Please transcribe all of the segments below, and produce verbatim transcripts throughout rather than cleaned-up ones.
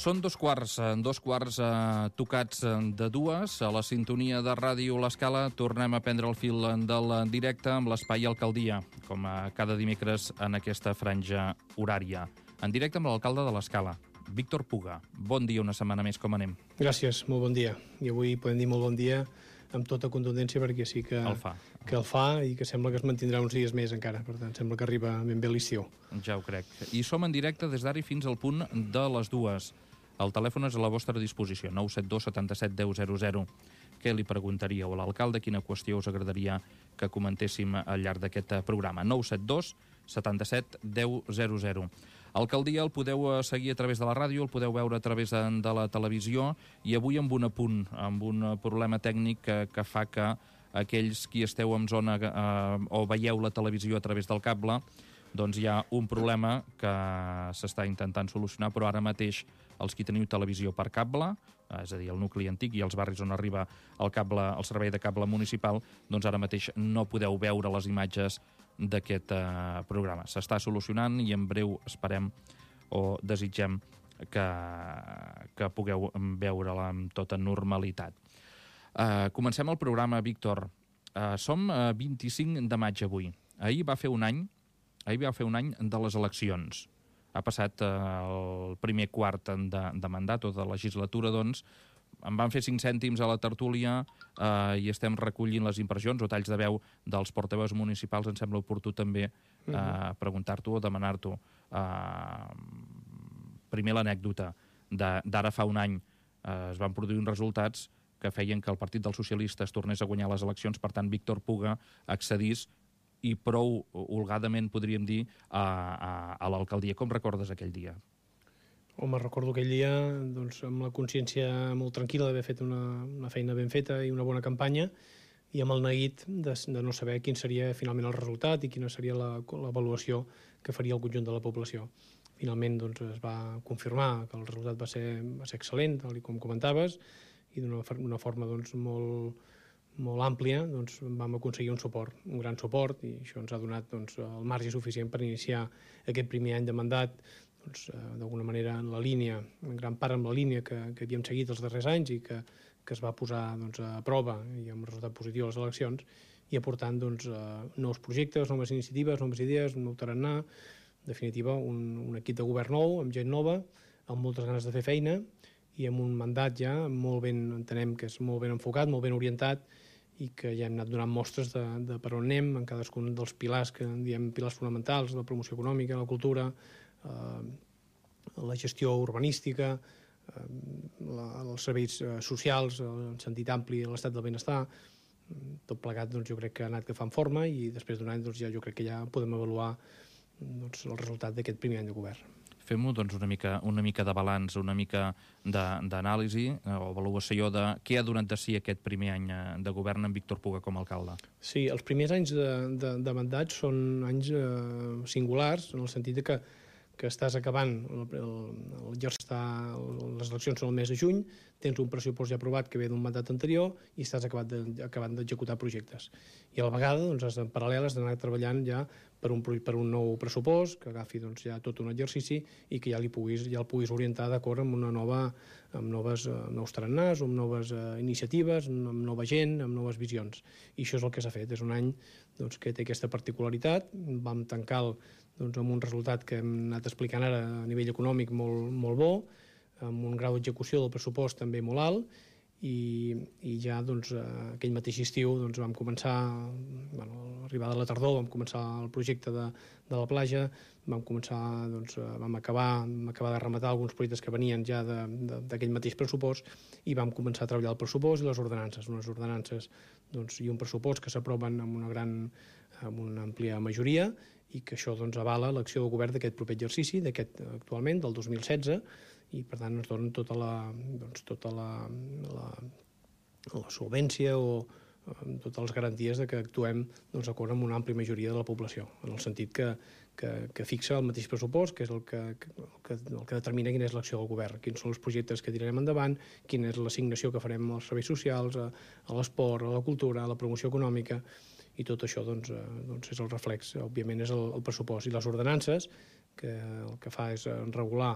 Són dos quarts, dos quarts eh, tocats de dues. A la sintonia de Ràdio L'Escala tornem a prendre el fil del directe amb l'Espai Alcaldia, com a cada dimecres en aquesta franja horària. En directe amb l'alcalde de l'Escala, Víctor Puga. Bon dia, una setmana més, com anem? Gràcies, molt bon dia. I avui podem dir molt bon dia amb tota contundència perquè sí que el fa, que el fa i que sembla que es mantindrà uns dies més encara. Per tant, sembla que arriba ben bé l'estiu. Ja ho crec. I som en directe des d'ara fins al punt de les dues. El telèfon és a la vostra disposició, nou set dos setanta-set deu zero zero. Què li preguntaríeu a l'alcalde? Quina qüestió us agradaria que comentéssim al llarg d'aquest programa? nou set dos setanta-set deu zero zero. Alcaldia el podeu seguir a través de la ràdio, el podeu veure a través de, de la televisió, i avui amb un apunt, amb un problema tècnic que, que fa que aquells qui esteu en zona eh, o veieu la televisió a través del cable, doncs hi ha un problema que s'està intentant solucionar, però ara mateix els qui teniu televisió per cable, és a dir, el nucli antic i els barris on arriba el cable, el servei de cable municipal, doncs ara mateix no podeu veure les imatges d'aquest eh, programa. S'està solucionant i en breu esperem o desitgem que, que pugueu veure-la amb tota normalitat. Eh, comencem el programa, Víctor. Eh, som a vint-i-cinc de maig avui. Ahir va fer un any Ahir va fer un any de les eleccions. Ha passat eh, el primer quart de, de mandat o de legislatura, doncs, em van fer cinc cèntims a la tertúlia eh, i estem recollint les impressions o talls de veu dels portaveus municipals. Em sembla oportú també eh, preguntar-t'ho o demanar-t'ho. Eh, primer l'anècdota d'ara fa un any eh, es van produir uns resultats que feien que el Partit dels Socialistes tornés a guanyar les eleccions, per tant Víctor Puga accedís i prou holgadament, podríem dir, a, a, a l'alcaldia. Com recordes aquell dia? Home, recordo aquell dia doncs, amb la consciència molt tranquil·la d'haver fet una, una feina ben feta i una bona campanya, i amb el neguit de, de no saber quin seria finalment el resultat i quina seria l'avaluació que faria el conjunt de la població. Finalment doncs, es va confirmar que el resultat va ser, va ser excel·lent, tal com comentaves, i d'una forma doncs, molt... molt àmplia, doncs vam aconseguir un suport, un gran suport, i això ens ha donat doncs, el marge suficient per iniciar aquest primer any de mandat doncs, d'alguna manera en la línia, en gran part amb la línia que, que havíem seguit els darrers anys i que, que es va posar doncs, a prova i amb resultat positiu a les eleccions, i aportant doncs, nous projectes, noves iniciatives, noves idees, un nou tarannà, en definitiva un, un equip de govern nou, amb gent nova, amb moltes ganes de fer feina i amb un mandat ja molt ben, entenem que és molt ben enfocat, molt ben orientat, i que ja hem anat donant mostres de, de per on anem en cadascun dels pilars que en diem pilars fonamentals, la promoció econòmica, la cultura, eh, la gestió urbanística, eh, la, els serveis socials, en sentit ampli, l'estat del benestar. Tot plegat doncs, jo crec que ha anat agafant forma, i després d'un any doncs, ja, jo crec que ja podem avaluar doncs, el resultat d'aquest primer any de govern. Fem-ho doncs, una, mica, una mica de balanç, una mica d'anàlisi o avaluació de què ha donat de si aquest primer any de govern amb Víctor Puga com a alcalde. Sí, els primers anys de, de, de mandat són anys eh, singulars, en el sentit de que que estàs acabant, el, el, el, està, les eleccions són el mes de juny, tens un pressupost ja aprovat que ve d'un mandat anterior i estàs acabat de, acabant d'executar projectes. I a la vegada, doncs, has, en paral·lel, has d'anar treballant ja per un, per un nou pressupost que agafi doncs, ja tot un exercici i que ja, li puguis, ja el puguis orientar d'acord amb una nova, amb noves, amb nous tarannàs, amb noves uh, iniciatives, amb nova gent, amb noves visions. I això és el que s'ha fet. És un any doncs, que té aquesta particularitat. Vam tancar el doncs, amb un resultat que hem anat explicant ara a nivell econòmic molt, molt bo, amb un grau d'execució del pressupost també molt alt, i, i ja doncs, aquell mateix estiu doncs, vam començar, bueno, a l'arribada de la tardor, vam començar el projecte de, de la platja, vam començar, doncs, vam acabar, vam acabar de rematar alguns projectes que venien ja d'aquell mateix pressupost, i vam començar a treballar el pressupost i les ordenances, unes ordenances doncs, i un pressupost que s'aproven amb una gran, amb una àmplia majoria, i que això doncs, avala l'acció del govern d'aquest proper exercici, d'aquest actualment, del dos mil setze, i per tant ens donen tota la, doncs, tota la, la, la solvència o eh, totes les garanties de que actuem doncs, d'acord amb una àmplia majoria de la població, en el sentit que, que, que fixa el mateix pressupost, que és el que, el, que, el que determina quina és l'acció del govern, quins són els projectes que tirarem endavant, quina és l'assignació que farem als serveis socials, a, a l'esport, a la cultura, a la promoció econòmica, i tot això doncs, eh, doncs és el reflex, òbviament és el, el pressupost, i les ordenances que el que fa és regular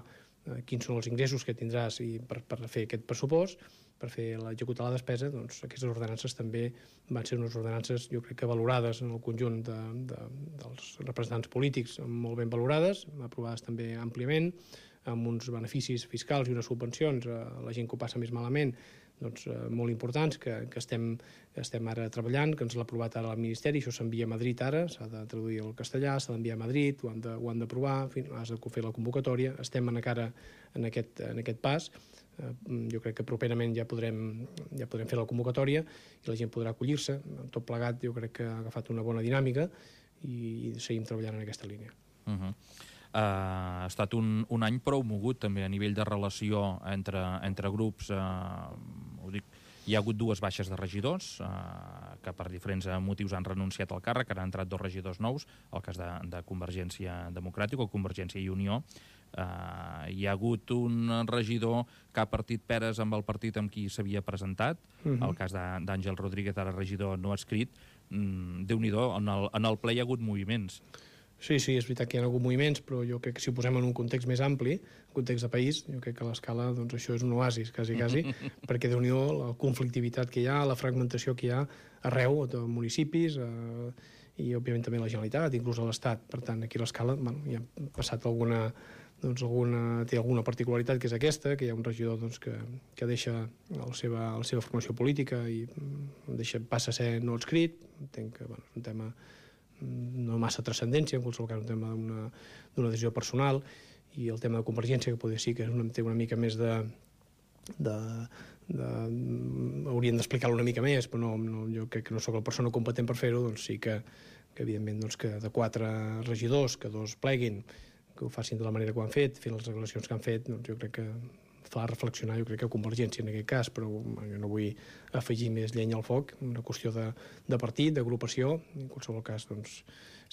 eh, quins són els ingressos que tindràs i per, per fer aquest pressupost, per fer executar la despesa, doncs aquestes ordenances també van ser unes ordenances, jo crec que valorades en el conjunt de, de, dels representants polítics, molt ben valorades, aprovades també àmpliament, amb uns beneficis fiscals i unes subvencions a la gent que ho passa més malament, doncs, eh, molt importants, que, que estem, estem ara treballant, que ens l'ha aprovat ara el Ministeri, això s'envia a Madrid ara, s'ha de traduir al castellà, s'ha d'enviar a Madrid, ho han de, ho han d'aprovar, has de fer la convocatòria, estem encara en aquest, en aquest pas. Eh, jo crec que properament ja podrem, ja podrem fer la convocatòria i la gent podrà acollir-se. Tot plegat jo crec que ha agafat una bona dinàmica i, i seguim treballant en aquesta línia. Uh-huh. Uh, ha estat un, un any prou mogut també a nivell de relació entre, entre grups. Uh, ho dic, hi ha hagut dues baixes de regidors uh, que per diferents motius han renunciat al càrrec, han entrat dos regidors nous, el cas de, de Convergència Democràtica o Convergència i Unió. Uh, hi ha hagut un regidor que ha partit peres amb el partit amb qui s'havia presentat, uh-huh. El cas d'Àngel Rodríguez, ara regidor no escrit. Mm, Déu-n'hi-do, en, el, en el ple hi ha hagut moviments. Sí, sí, és veritat que hi ha hagut moviments, però jo crec que si ho posem en un context més ampli, un context de país, jo crec que a l'escala, doncs això és un oasis, quasi, quasi, perquè Déu-n'hi-do, la conflictivitat que hi ha, la fragmentació que hi ha arreu, a municipis, eh, i òbviament també la Generalitat, inclús a l'Estat. Per tant, aquí a l'escala, bueno, hi ha passat alguna, doncs alguna, té alguna particularitat, que és aquesta, que hi ha un regidor doncs, que, que deixa la seva, la seva formació política i deixa, passa a ser no adscrit. Entenc que bueno, és un tema no massa transcendència, en qualsevol cas un tema d'una decisió personal, i el tema de Convergència, que podria sí que una, té una mica més de... de, de haurien d'explicar-lo una mica més, però no, no, jo crec que no sóc la persona competent per fer-ho, doncs sí que, que evidentment doncs, que de quatre regidors, que dos pleguin, que ho facin de la manera que ho han fet, fent les declaracions que han fet, doncs jo crec que fa reflexionar, jo crec que Convergència en aquest cas, però jo no vull afegir més llenya al foc, una qüestió de, de partit, d'agrupació, en qualsevol cas, doncs,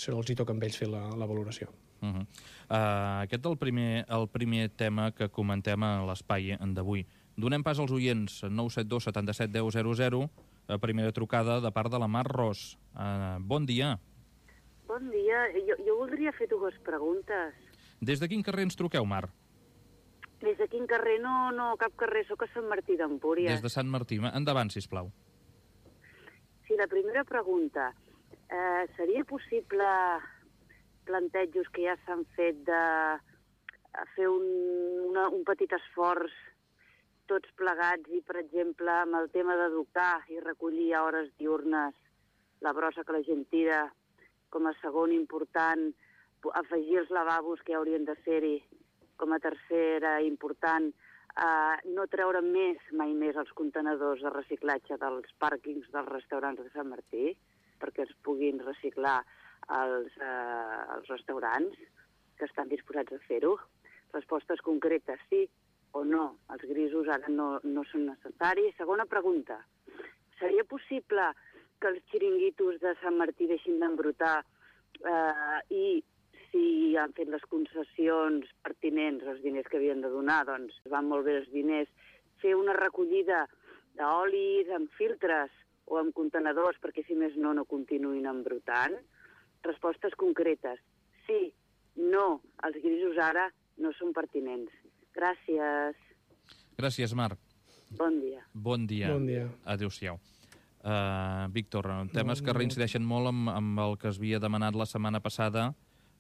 els hi toca amb ells fer la, la valoració. Uh-huh. uh, aquest és el primer, el primer tema que comentem a l'espai d'avui. Donem pas als oients, nou set dos setanta set deu zero zero, a primera trucada de part de la Mar Ros. Uh, bon dia. Bon dia. Jo, jo voldria fer dues preguntes. Des de quin carrer ens truqueu, Mar? Des de quin carrer? No, no, cap carrer. Soc a Sant Martí d'Empúries. Des de Sant Martí. Endavant, sisplau. Sí, la primera pregunta. Eh, seria possible plantejos que ja s'han fet de fer un, una, un petit esforç tots plegats i, per exemple, amb el tema d'educar i recollir a hores diurnes la brossa que la gent tira, com a segon important, afegir els lavabos que haurien de ser-hi, com a tercera important, eh, no treure més, mai més, els contenedors de reciclatge dels pàrquings dels restaurants de Sant Martí, perquè es puguin reciclar els, eh, els restaurants que estan disposats a fer-ho. Respostes concretes, sí o no. Els grisos ara no, no són necessaris. Segona pregunta. Seria possible que els xiringuitos de Sant Martí deixin d'embrutar eh, i si han fet les concessions pertinents, els diners que havien de donar, doncs van molt bé els diners, fer una recollida d'olis amb filtres o amb contenedors perquè, si més no, no continuïn embrutant? Respostes concretes. Sí, no, els grisos ara no són pertinents. Gràcies. Gràcies, Marc. Bon dia. Bon dia. Bon dia. Adéu-siau. Uh, Víctor, temes que reincideixen molt amb, amb el que es havia demanat la setmana passada,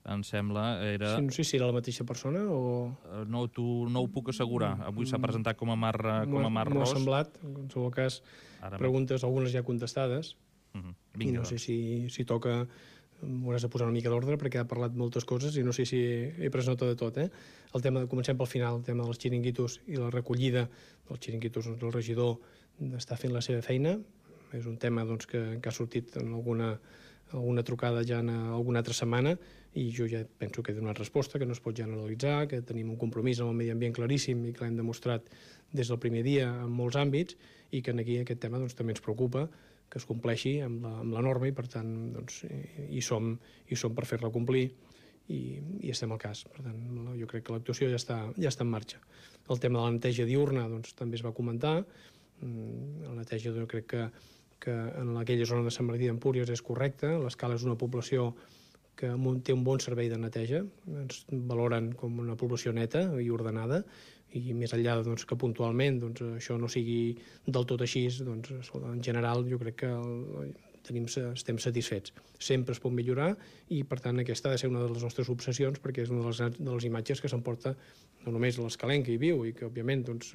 em sembla, era... Sí, no sé si era la mateixa persona o... Uh, no, tu, no ho puc assegurar. Avui s'ha presentat com a Mar, com a Mar Ros. M'ho ha semblat, en qualsevol cas, Ara preguntes, algunes ja contestades, uh -huh. i no sé si, si toca... M'hauràs de posar una mica d'ordre perquè ha parlat moltes coses i no sé si he pres nota de tot, eh? El tema, de, comencem pel final, el tema dels xiringuitos i la recollida dels xiringuitos, doncs, el regidor està fent la seva feina. És un tema doncs, que, que ha sortit en alguna, alguna trucada ja en alguna altra setmana i jo ja penso que he donat resposta, que no es pot generalitzar, que tenim un compromís amb el medi ambient claríssim i que l'hem demostrat des del primer dia en molts àmbits i que aquí aquest tema doncs, també ens preocupa, que es compleixi amb la, amb la norma i, per tant, doncs, hi, som, hi som per fer-la complir i, i estem al cas. Per tant, jo crec que l'actuació ja està, ja està en marxa. El tema de la neteja diurna doncs, també es va comentar. La neteja jo crec que, que en aquella zona de Sant Martí d'Empúries és correcta. L'Escala és una població que té un bon servei de neteja, ens valoren com una població neta i ordenada, i més enllà doncs, que puntualment doncs, això no sigui del tot així, doncs, en general jo crec que el, tenim, estem satisfets. Sempre es pot millorar i, per tant, aquesta ha de ser una de les nostres obsessions perquè és una de les, de les imatges que s'emporta no només l'escalenc que hi viu i que, òbviament, doncs,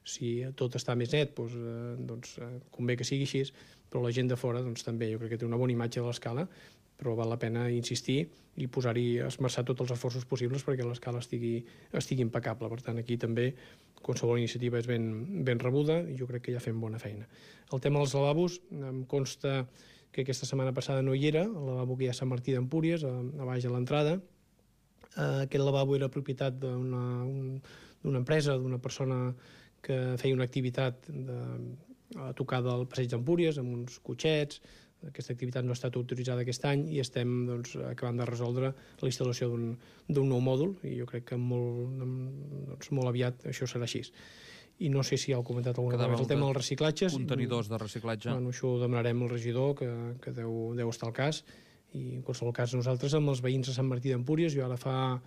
si tot està més net, doncs, doncs convé que sigui així, però la gent de fora doncs, també jo crec que té una bona imatge de l'escala, però val la pena insistir i posar-hi, esmerçar tots els esforços possibles perquè l'escala estigui, estigui impecable. Per tant, aquí també qualsevol iniciativa és ben, ben rebuda i jo crec que ja fem bona feina. El tema dels lavabos, em consta que aquesta setmana passada no hi era, el lavabo que hi ha a Sant Martí d'Empúries, a, a baix a l'entrada. Eh, aquest lavabo era propietat d'una un, d'una empresa, d'una persona que feia una activitat de, a tocar del passeig d'Empúries, amb uns cotxets. Aquesta activitat no ha estat autoritzada aquest any i estem doncs, acabant de resoldre la instal·lació d'un nou mòdul i jo crec que molt, doncs, molt aviat això serà així. I no sé si ja heu comentat alguna cosa. El tema dels reciclatges. Contenidors de reciclatge. Bueno, això ho demanarem al regidor, que, que deu, deu estar al cas. I en qualsevol cas nosaltres amb els veïns de Sant Martí d'Empúries, jo ara fa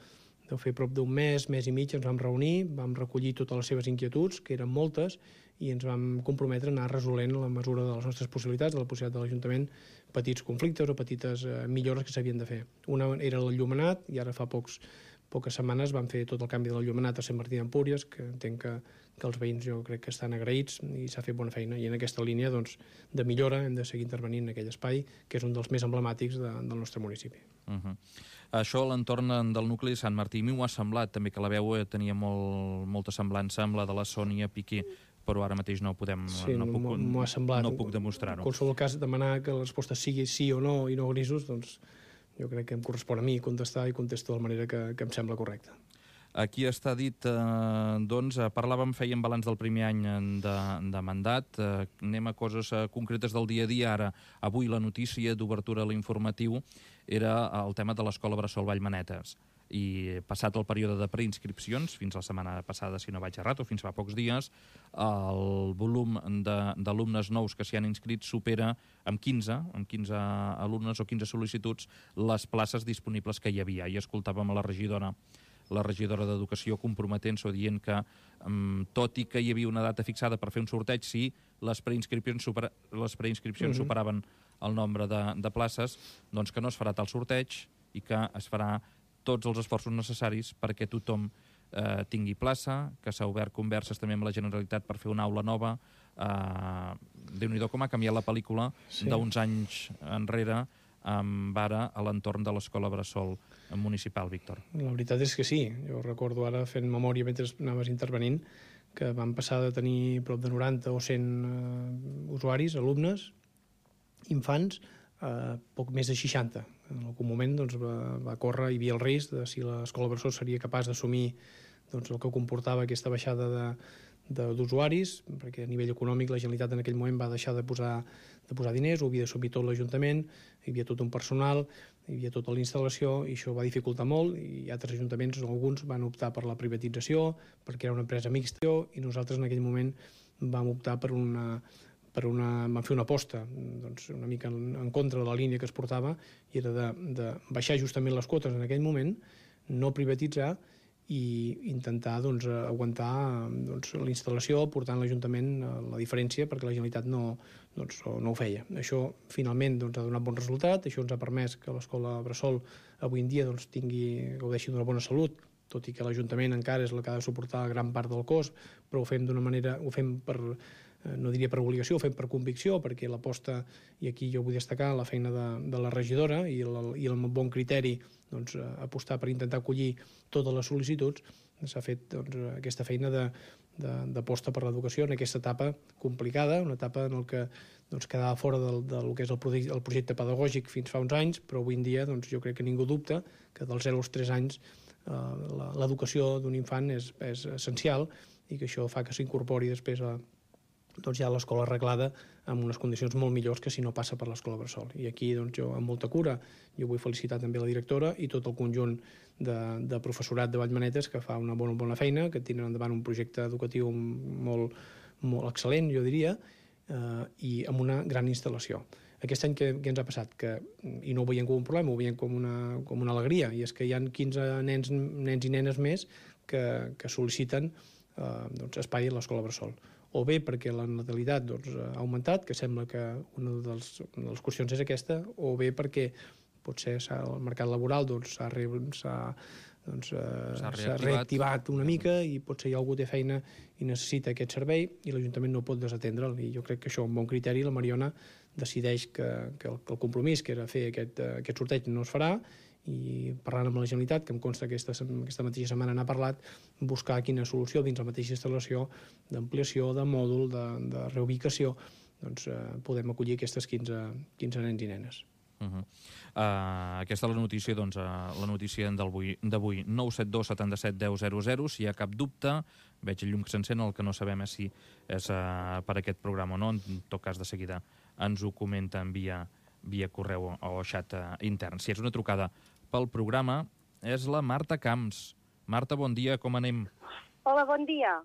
deu fer prop d'un mes, mes i mig, ens vam reunir, vam recollir totes les seves inquietuds, que eren moltes, i ens vam comprometre a anar resolent la mesura de les nostres possibilitats, de la possibilitat de l'Ajuntament, petits conflictes o petites eh, millores que s'havien de fer. Una era l'enllumenat, i ara fa pocs, poques setmanes vam fer tot el canvi de l'enllumenat a Sant Martí d'Empúries, que entenc que, que els veïns jo crec que estan agraïts i s'ha fet bona feina. I en aquesta línia doncs, de millora hem de seguir intervenint en aquell espai, que és un dels més emblemàtics de, del nostre municipi. Uh -huh. Això a l'entorn del nucli de Sant Martí. A mi m'ho ha semblat també que la veu tenia molt, molta semblança amb la de la Sònia Piqué, però ara mateix no podem, sí, no, puc, m'ho ha semblat. No puc demostrar-ho. En qualsevol cas, demanar que la resposta sigui sí o no i no grisos, doncs jo crec que em correspon a mi contestar i contesto de la manera que, que em sembla correcta. Aquí està dit, eh, doncs, parlàvem, fèiem balanç del primer any de, de mandat, eh, anem a coses eh, concretes del dia a dia. Ara, avui la notícia d'obertura a l'informatiu era el tema de l'Escola Bressol Vallmanetes. I passat el període de preinscripcions, fins la setmana passada, si no vaig errat, o fins fa pocs dies, el volum d'alumnes nous que s'hi han inscrit supera amb quinze, amb quinze alumnes o quinze sol·licituds les places disponibles que hi havia. I escoltàvem a la regidora la regidora d'Educació comprometent-se o dient que, um, tot i que hi havia una data fixada per fer un sorteig, si les preinscripcions, supera, les preinscripcions uh-huh. superaven el nombre de, de places, doncs que no es farà tal sorteig i que es farà tots els esforços necessaris perquè tothom eh, tingui plaça, que s'ha obert converses també amb la Generalitat per fer una aula nova. Eh, Déu-n'hi-do com ha canviat la pel·lícula sí. d'uns anys enrere amb ara a l'entorn de l'Escola Bressol Municipal, Víctor. La veritat és que sí. Jo recordo ara, fent memòria mentre anaves intervenint, que van passar de tenir prop de noranta o cent uh, usuaris, alumnes, infants, a uh, poc més de seixanta. En algun moment doncs, va, va córrer, hi havia el risc de si l'Escola Bressol seria capaç d'assumir doncs, el que comportava aquesta baixada de d'usuaris, perquè a nivell econòmic la Generalitat en aquell moment va deixar de posar, de posar diners, ho havia d'assumir tot l'Ajuntament, hi havia tot un personal, hi havia tota la instal·lació, i això va dificultar molt, i altres ajuntaments, alguns, van optar per la privatització, perquè era una empresa mixta, i nosaltres en aquell moment vam optar per una... per una, vam fer una aposta doncs, una mica en, en contra de la línia que es portava, i era de, de baixar justament les quotes en aquell moment, no privatitzar, i intentar doncs, aguantar doncs, la instal·lació portant l'Ajuntament a la diferència perquè la Generalitat no, doncs, no ho feia. Això finalment doncs, ha donat bon resultat, això ens ha permès que l'Escola Bressol avui en dia doncs, tingui, gaudeixi d'una bona salut, tot i que l'Ajuntament encara és la que ha de suportar gran part del cost, però ho fem d'una manera, ho fem per, no diria per obligació, ho fem per convicció, perquè l'aposta, i aquí jo vull destacar la feina de, de la regidora i el, i el bon criteri doncs, apostar per intentar acollir totes les sol·licituds, s'ha fet doncs, aquesta feina d'aposta per l'educació en aquesta etapa complicada, una etapa en què doncs, quedava fora del, del que és el projecte, el projecte pedagògic fins fa uns anys, però avui en dia doncs, jo crec que ningú dubta que dels zero als tres anys eh, l'educació d'un infant és, és essencial, i que això fa que s'incorpori després a doncs ja l'escola arreglada amb unes condicions molt millors que si no passa per l'Escola Bressol. I aquí doncs, jo, amb molta cura, jo vull felicitar també la directora i tot el conjunt de, de professorat de Vallmanetes, que fa una bona, bona feina, que tenen endavant un projecte educatiu molt, molt excel·lent, jo diria, eh, i amb una gran instal·lació. Aquest any què, què ens ha passat? Que, i no ho veiem com un problema, ho veiem com una, com una alegria, i és que hi ha quinze nens, nens i nenes més que, que sol·liciten eh, doncs, espai a l'escola bressol. O bé perquè la natalitat doncs, ha augmentat, que sembla que una de les, una de les qüestions és aquesta, o bé perquè potser el mercat laboral doncs, s'ha doncs, doncs, reactivat. reactivat una mica i potser hi ha algú que té feina i necessita aquest servei i l'Ajuntament no pot desatendre'l. I jo crec que això, amb bon criteri, la Mariona decideix que, que, el, que el compromís, que era fer aquest, aquest sorteig, no es farà, i parlant amb la Generalitat, que em consta que aquesta, aquesta mateixa setmana n'ha parlat, buscar quina solució dins la mateixa instal·lació d'ampliació, de mòdul, de, de reubicació, doncs eh, podem acollir aquestes quinze, quinze nens i nenes. Uh -huh. uh, aquesta és la notícia, doncs, uh, la notícia d'avui, nou set dos setanta set deu zero zero. Si hi ha cap dubte, veig el llum que s'encén, el que no sabem és si és uh, per aquest programa o no. En tot cas, de seguida ens ho comenten via, via correu o xat uh, intern. Si és una trucada pel programa, és la Marta Camps. Marta, bon dia, com anem? Hola, bon dia.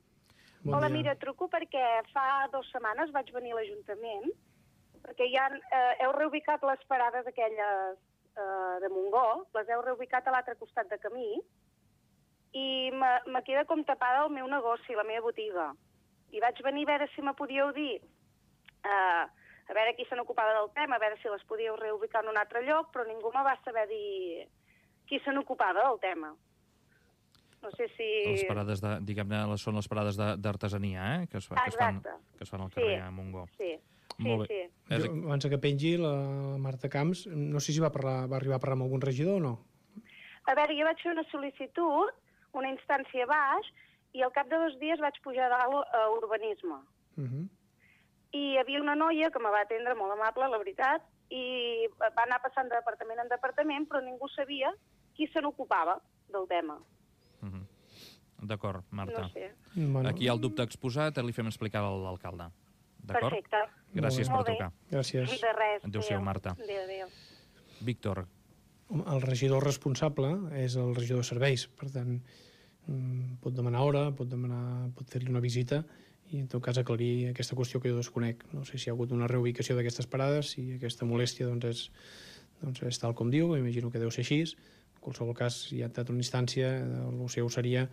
Bon Hola, dia. mira, truco perquè fa dues setmanes vaig venir a l'Ajuntament perquè ja eh, heu reubicat les parades aquelles eh, de Montgó, les heu reubicat a l'altre costat de camí i me, me queda com tapada el meu negoci, la meva botiga. I vaig venir a veure si me podíeu dir, eh, a veure qui se n'ocupava del tema, a veure si les podíeu reubicar en un altre lloc, però ningú me va saber dir qui se n'ocupava del tema. No sé si... Les parades, de, diguem-ne, són les parades d'artesania, eh? Que es, que, es fan, que es fan al carrer sí, a Montgó. Sí, sí, Molt bé. sí. Jo, abans que pengi, la Marta Camps, no sé si va, parlar, va arribar a parlar amb algun regidor o no? A veure, jo vaig fer una sol·licitud, una instància baix, i al cap de dos dies vaig pujar a dalt a urbanisme. Uh -huh. I hi havia una noia que me va atendre molt amable, la veritat, i va anar passant de departament en departament, però ningú sabia qui se n'ocupava del tema. Uh -huh. D'acord, Marta. No sé. Bueno, Aquí hi ha el dubte exposat, li fem explicar a l'alcalde. D'acord? Perfecte. Gràcies Molt per bé. trucar. gràcies. De res. Adéu-siau, Marta. Adéu, adéu. Víctor, El regidor responsable és el regidor de serveis, per tant, mm, pot demanar hora, pot, demanar, pot fer-li una visita i en tot cas aclarir aquesta qüestió que jo desconec. No sé si hi ha hagut una reubicació d'aquestes parades, si aquesta molèstia doncs, és, doncs, és tal com diu, imagino que deu ser així. En qualsevol cas, si hi ha estat una instància, el seu seria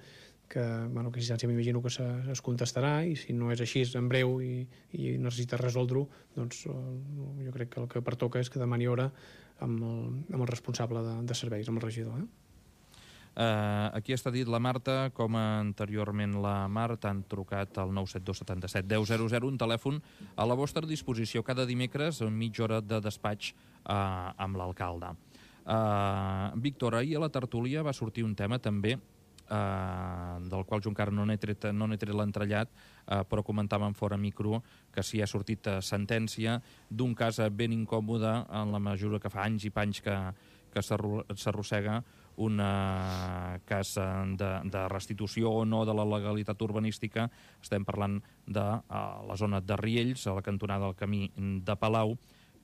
que, bueno, que instància m'imagino que se, es contestarà i si no és així en breu i, i necessita resoldre-ho, doncs jo crec que el que pertoca és que demani hora amb el, amb el responsable de, de serveis, amb el regidor. Eh? Uh, aquí està dit la Marta, com anteriorment la Marta, han trucat al nou set dos setanta set deu zero zero, un telèfon a la vostra disposició cada dimecres, mitja hora de despatx uh, amb l'alcalde. Uh, Víctor, ahir a la tertúlia va sortir un tema també Uh, del qual jo encara no n'he tret, no n'he tret l'entrellat, uh, però comentàvem fora micro que si ha sortit uh, sentència d'un cas ben incòmode en la mesura que fa anys i panys que, que s'arrossega un uh, cas de, de restitució o no de la legalitat urbanística. Estem parlant de uh, la zona de Riells, a la cantonada del camí de Palau,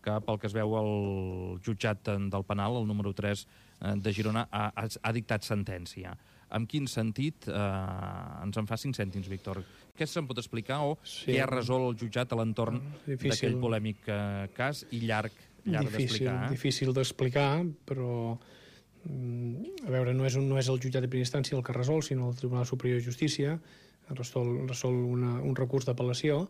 que pel que es veu el jutjat del penal, el número tres de Girona, ha, ha dictat sentència. En quin sentit? Eh, ens en fa cinc cèntims, Víctor. Què se'n pot explicar o sí. Què ha resolt el jutjat a l'entorn d'aquell polèmic eh, cas i llarg, llarg d'explicar? Eh? Difícil d'explicar, però a veure, no és, un, no és el jutjat de primera instància el que resol, sinó el Tribunal Superior de Justícia, resol, resol una, un recurs d'apel·lació,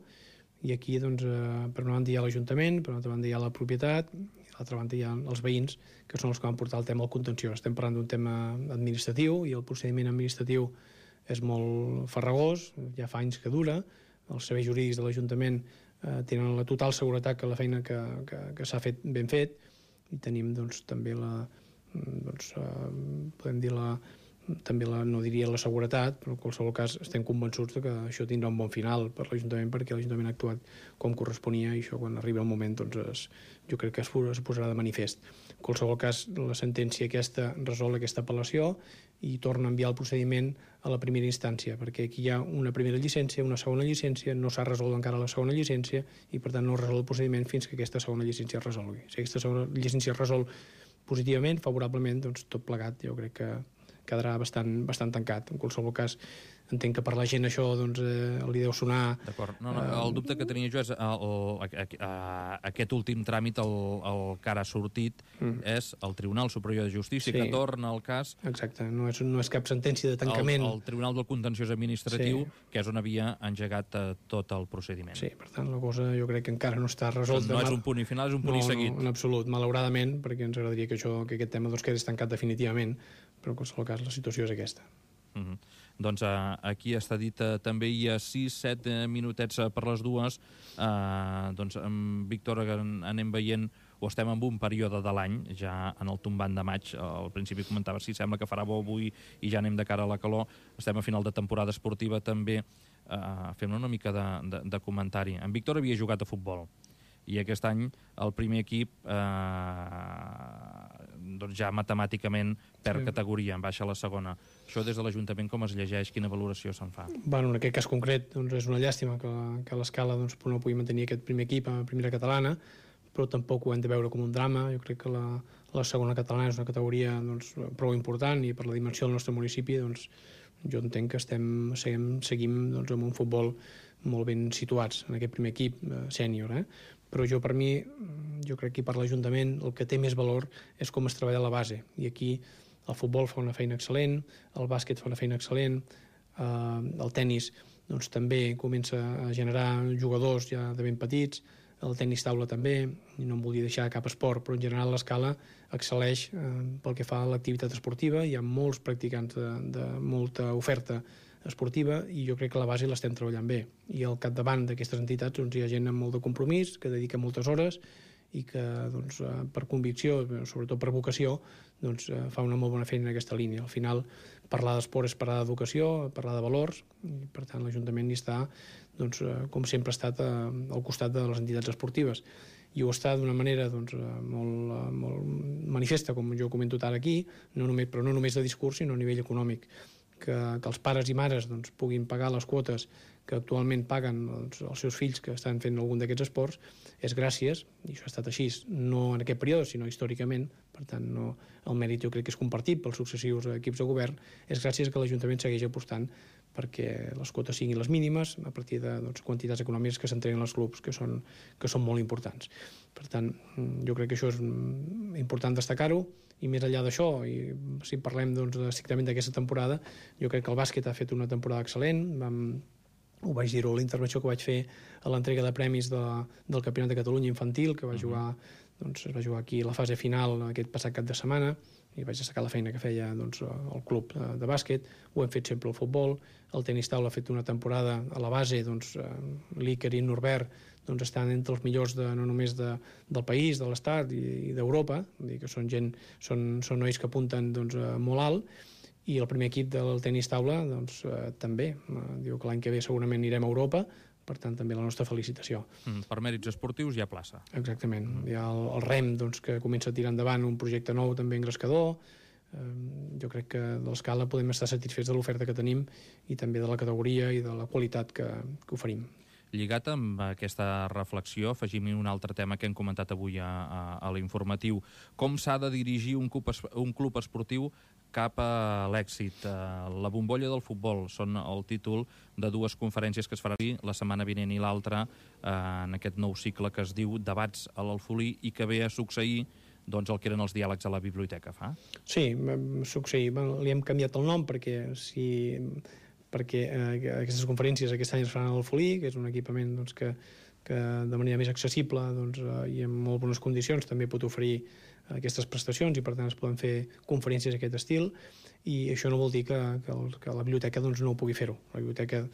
i aquí, doncs, eh, per una banda hi ha l'Ajuntament, per una altra banda hi ha la propietat, i a l'altra banda hi ha els veïns, que són els que van portar el tema al contenció. Estem parlant d'un tema administratiu, i el procediment administratiu és molt farragós, ja fa anys que dura, els serveis jurídics de l'Ajuntament eh, tenen la total seguretat que la feina que, que, que s'ha fet ben fet, i tenim, doncs, també la, doncs, eh, podem dir la, també la, no diria la seguretat, però en qualsevol cas estem convençuts de que això tindrà un bon final per l'Ajuntament, perquè l'Ajuntament ha actuat com corresponia, i això quan arriba el moment doncs es, jo crec que es, es posarà de manifest. En qualsevol cas, la sentència aquesta resol aquesta apel·lació i torna a enviar el procediment a la primera instància, perquè aquí hi ha una primera llicència, una segona llicència, no s'ha resolt encara la segona llicència i per tant no resol el procediment fins que aquesta segona llicència es resolgui. Si aquesta segona llicència es resol positivament, favorablement, doncs tot plegat jo crec que quedarà bastant, bastant tancat. En qualsevol cas, entenc que per la gent això doncs, eh, li deu sonar... D'acord. No, no, el dubte que tenia jo és el, el, el, aquest últim tràmit, el, el que ara ha sortit, mm. és el Tribunal Superior de Justícia, sí. que torna al cas... Exacte, no és, no és cap sentència de tancament. El, el Tribunal del Contenciós Administratiu, sí. que és on havia engegat eh, tot el procediment. Sí, per tant, la cosa jo crec que encara no està resolta. No és un punt i final, és un punt no, i seguit. No, en absolut, malauradament, perquè ens agradaria que, això, que aquest tema doncs, quedés tancat definitivament, però en qualsevol cas la situació és aquesta. Mm -hmm. Doncs uh, aquí està dit uh, també hi ha sis set uh, minutets uh, per les dues. Uh, doncs amb Víctor anem veient o estem en un període de l'any, ja en el tombant de maig, al principi comentava si sembla que farà bo avui i ja anem de cara a la calor, estem a final de temporada esportiva també, uh, fem una mica de, de, de comentari. En Víctor havia jugat a futbol i aquest any el primer equip eh, doncs ja matemàticament per sí. categoria, en baixa a la segona. Això des de l'Ajuntament com es llegeix, quina valoració se'n fa? Bueno, en aquest cas concret doncs és una llàstima que, que l'Escala doncs, no pugui mantenir aquest primer equip a primera catalana, però tampoc ho hem de veure com un drama. Jo crec que la, la segona catalana és una categoria doncs, prou important i per la dimensió del nostre municipi doncs, jo entenc que estem, seguim, seguim doncs, amb un futbol molt ben situats en aquest primer equip eh, sènior, eh? Però jo per mi, jo crec que per l'Ajuntament el que té més valor és com es treballa a la base, i aquí el futbol fa una feina excel·lent, el bàsquet fa una feina excel·lent, eh, el tennis doncs, també comença a generar jugadors ja de ben petits, el tennis taula també, i no em volia deixar cap esport, però en general l'Escala excel·leix eh, pel que fa a l'activitat esportiva, hi ha molts practicants de, de molta oferta esportiva i jo crec que la base l'estem treballant bé, i al capdavant d'aquestes entitats doncs, hi ha gent amb molt de compromís que dedica moltes hores i que doncs, per convicció, sobretot per vocació, doncs, fa una molt bona feina en aquesta línia. Al final parlar d'esport és parlar d'educació, parlar de valors, i per tant l'Ajuntament hi està doncs, com sempre ha estat al costat de les entitats esportives, i ho està d'una manera doncs, molt, molt manifesta, com jo comento ara aquí, no només, però no només de discurs sinó a nivell econòmic. Que, que els pares i mares doncs, puguin pagar les quotes que actualment paguen doncs, els seus fills que estan fent algun d'aquests esports és gràcies, i això ha estat així no en aquest període sinó històricament, per tant no, el mèrit jo crec que és compartit pels successius equips de govern, és gràcies que l'Ajuntament segueix apostant perquè les quotes siguin les mínimes a partir de doncs, quantitats econòmiques que s'entreguen als clubs que són, que són molt importants. Per tant, jo crec que això és important destacar-ho, i més enllà d'això, i si parlem doncs, estrictament d'aquesta temporada, jo crec que el bàsquet ha fet una temporada excel·lent. Vam, ho vaig dir-ho a la intervenció que vaig fer a l'entrega de premis de, del Campionat de Catalunya infantil, que va jugar, doncs, es va jugar aquí a la fase final aquest passat cap de setmana, i vaig destacar la feina que feia doncs, el club de bàsquet. Ho hem fet sempre al futbol. El tenis taula ha fet una temporada a la base, doncs, l'Iker i Norbert doncs, estan entre els millors de, no només de, del país, de l'Estat i, i d'Europa, que són gent, són, són nois que apunten doncs, molt alt, i el primer equip del tenis taula doncs, eh, també. Eh, diu que l'any que ve segurament anirem a Europa, per tant també la nostra felicitació. Mm, per mèrits esportius hi ha plaça. Exactament. Mm. Hi ha el, el REM doncs, que comença a tirar endavant un projecte nou també engrescador. Eh, jo crec que de l'Escala podem estar satisfets de l'oferta que tenim i també de la categoria i de la qualitat que, que oferim. Lligat amb aquesta reflexió, afegim un altre tema que hem comentat avui a, a, a l'informatiu. Com s'ha de dirigir un club, un club esportiu cap a l'èxit? La bombolla del futbol són el títol de dues conferències que es faran la setmana vinent i l'altra en aquest nou cicle que es diu Debats a l'Alfolí i que ve a succeir doncs, el que eren els diàlegs a la biblioteca, fa? Sí, va succeir. Li hem canviat el nom perquè si... perquè eh, aquestes conferències aquest any es faran a l'Alfolí, que és un equipament doncs, que, que de manera més accessible doncs, eh, i en molt bones condicions també pot oferir aquestes prestacions i per tant es poden fer conferències d'aquest estil, i això no vol dir que, que, el, que la biblioteca doncs, no ho pugui fer-ho. La biblioteca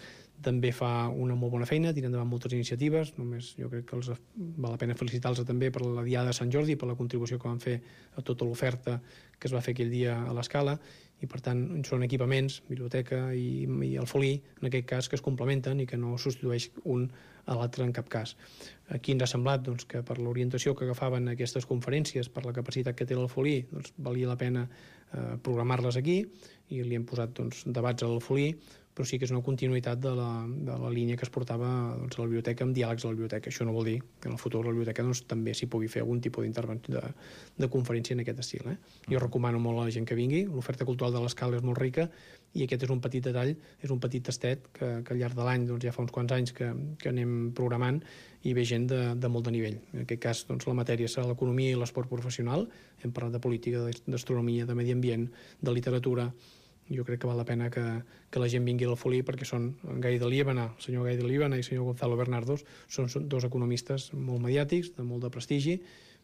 també fa una molt bona feina, tira endavant moltes iniciatives, només jo crec que els val la pena felicitar-los també per la Diada de Sant Jordi, per la contribució que van fer a tota l'oferta que es va fer aquell dia a l'Escala, i per tant són equipaments, biblioteca i, i Alfolí, en aquest cas, que es complementen i que no substitueix un a l'altre en cap cas. Aquí ens ha semblat doncs, que per l'orientació que agafaven aquestes conferències, per la capacitat que té l'Alfolí, doncs, valia la pena eh, programar-les aquí, i li hem posat doncs, debats a l'Alfolí, però sí que és una continuïtat de la, de la línia que es portava doncs, a la biblioteca amb diàlegs a la biblioteca. Això no vol dir que en el futur a la biblioteca doncs, també s'hi pugui fer algun tipus d'intervenció de, de conferència en aquest estil. Eh? Jo recomano molt a la gent que vingui, l'oferta cultural de l'Escala és molt rica i aquest és un petit detall, és un petit tastet que, que al llarg de l'any, doncs, ja fa uns quants anys que, que anem programant i ve gent de, de molt de nivell. En aquest cas, doncs, la matèria serà l'economia i l'esport professional, hem parlat de política, d'astronomia, de medi ambient, de literatura. Jo crec que val la pena que, que la gent vingui al Folí perquè són en Gai de Líbana, el senyor Gai de Líbana i el senyor Gonzalo Bernardos, són, són dos economistes molt mediàtics, de molt de prestigi,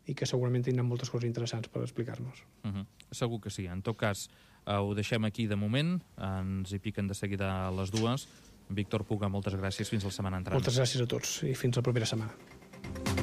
i que segurament tindran moltes coses interessants per explicar-nos. Uh -huh. Segur que sí. En tot cas, eh, ho deixem aquí de moment, ens hi piquen de seguida a les dues. Víctor Puga, moltes gràcies, fins la setmana entrant. Moltes gràcies a tots i fins la propera setmana.